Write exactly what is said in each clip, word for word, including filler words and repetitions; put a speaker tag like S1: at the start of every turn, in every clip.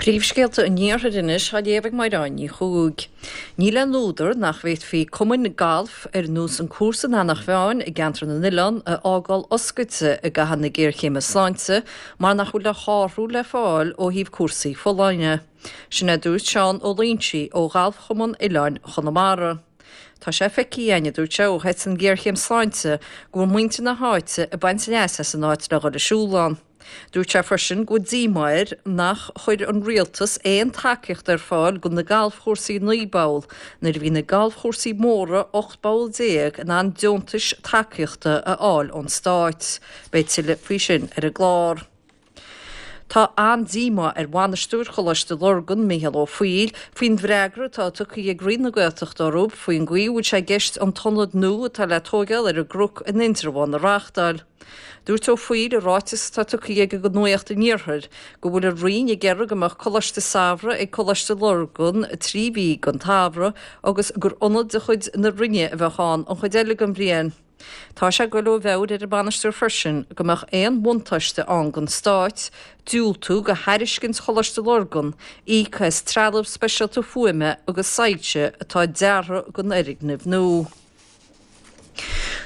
S1: Príomhscéalta an Iarthair anois á léamh ag Mairéad Ní Chuaig. Níl aon údar nach bhféadfaí cumainn gailf ar nós an cúrsa in Eanach Mheáin i gceantar na nOileán a fhágáil oscailte i gcaitheamh na géarchéime sláinte mar nach bhfuil a shárú le fáil ó thaobh cúrsaí folláine. Sin a dúirt Seán Ó Loingsigh ó Ghalfchumann Oileáin Chonamara. Tá sé feicthe againn, a dúirt sé, ó thit an ghéarchéim sláinte go bhfuil muintir na háite ag baint leas as an áit le dhul ag siúl ann. Dúirt sé freisin go bhfuil díomá air nach chuir an rialtas aon tacaíocht ar fáil do na galfchúrsaí naoi bpoll nuair a bhí na galfchúrsaí móra ocht bpoll déag in ann deontais tacaíochta a fháil ón stát. Beidh tuilleadh faoi sin ar an gclár. Tá an-díomá ar bhainisteoir Choláiste Lurgan, Mícheál Ó Foighil, faoin bhfreagra atá tugtha ag Roinn na Gaeltachta orthu faoin gcaoi a bhfuil sé i gceist an t-ionad nua atá le tógáil ar an gCnoc in Indreabhán a reáchtáil. Dúirt Ó Foighil i ráiteas atá tugtha aige do Nuacht an Iarthair go bhfuil an Roinn ag iarraidh go mbeadh Coláiste Samhraidh ag Coláiste Lurgan trí mhí den tsamhradh agus gur ionad de chuid na Roinne a bheadh ann an chuid eile den bhliain. Tá sé ag goil ó mheabhair ar an mbainisteoir freisin go mbeadh aon bhuntáiste ann don Stát diúltú do thairiscint Choláiste Lurgan íoc as trealamh speisialta fuaime agus soilse atá deartha don fhoirgneamh nua.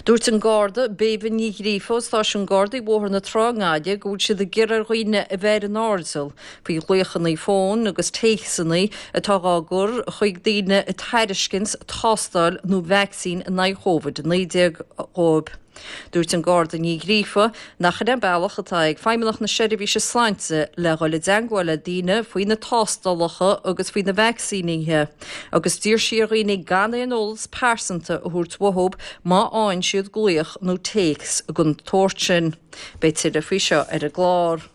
S1: Dúirt an Garda Béibhinn Ní Ghríofa ó Stáisiún Gardaí Bhóthar na Trá i nGaillimh go bhfuil siad ag iarraidh ar dhaoine a bheith ar an airdeall faoi ghlaochanna fóin agus téacsanna atá á gcur chuig daoine ag tairiscint tástáil nó vacsaín in aghaidh Covid a naoi déag dhóibh. Dúirt an Garda Ní Ghríofa nach in é an bealach atá ag Feidhmeannacht na Seirbhíse Sláinte le dhul i dteagmháil le daoine faoi na tástálacha agus faoi na vacsaínithe agus d'iarr sí ar dhaoine gan aon eolas pearsanta a thabhairt uathu má fhaigheann siad glaoch nó téacs den tsórt sin. Beidh tuilleadh faoi seo ar an gclár.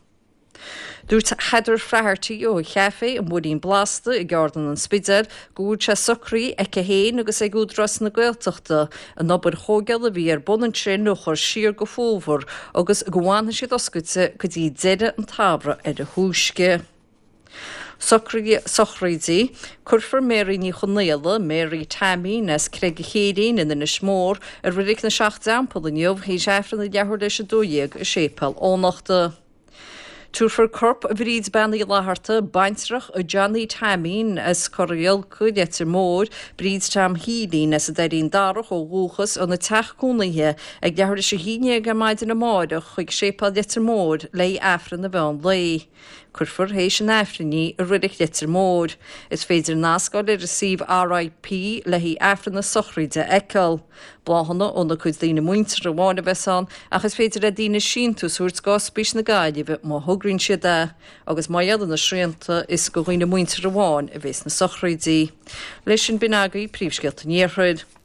S1: Dúirt Heather Flaherty ó Chaifé an Bhuilín Blasta i gCeardlann an Spidéil go bhfuil sé socraithe aici féin agus ag Údarás na Gaeltachta an obair thógála a bhí ar bun ansin a chur siar go fómhar agus go bhfanfaidh siad oscailte go dtí deireadh an tsamhraidh ar a thúisce. Sochraidí, Cuirfear Mary Ní Chonaola, Mary Taimín as Creag an Chéirín in Inis Mór, i Reilig na Seacht dTeampall inniu théis Aifreann ag leathuair théis a dó dhéag i Séipéal Eoghanachta. Tabharfar corp Bhríd Bean Uí Fhlatharta, baintreach Johnny Taimín as Corr an Ghiolcaigh, Leitir Móir, Bríd Tom Shílín as an Doirín Darach ó dhúchas, óna teach cónaithe ag leathuair théis a haon déag ar maidin amárach chuig Séipéal Leitir Móir le haghaidh Aifreann an mheán lae. Cuirfear théis an Aifrinn í i Reilig Leitir Móir. Is féidir nasc a fháil ar an suíomh RIP le haghaidh Aifreann na sochraide a fheiceáil. Bláthanna óna cuid daoine muinteartha amháin a bheas ann ach is féidir le daoine síntiús a thabhairt d'Ospís na Gaillimhe má thograíonn siad é agus mar gheall ar na srianta is do dhaoine muinteartha amháin a bheas na sochraidí. Leis sin b'in agaibh príomhscéalta an Iarthair.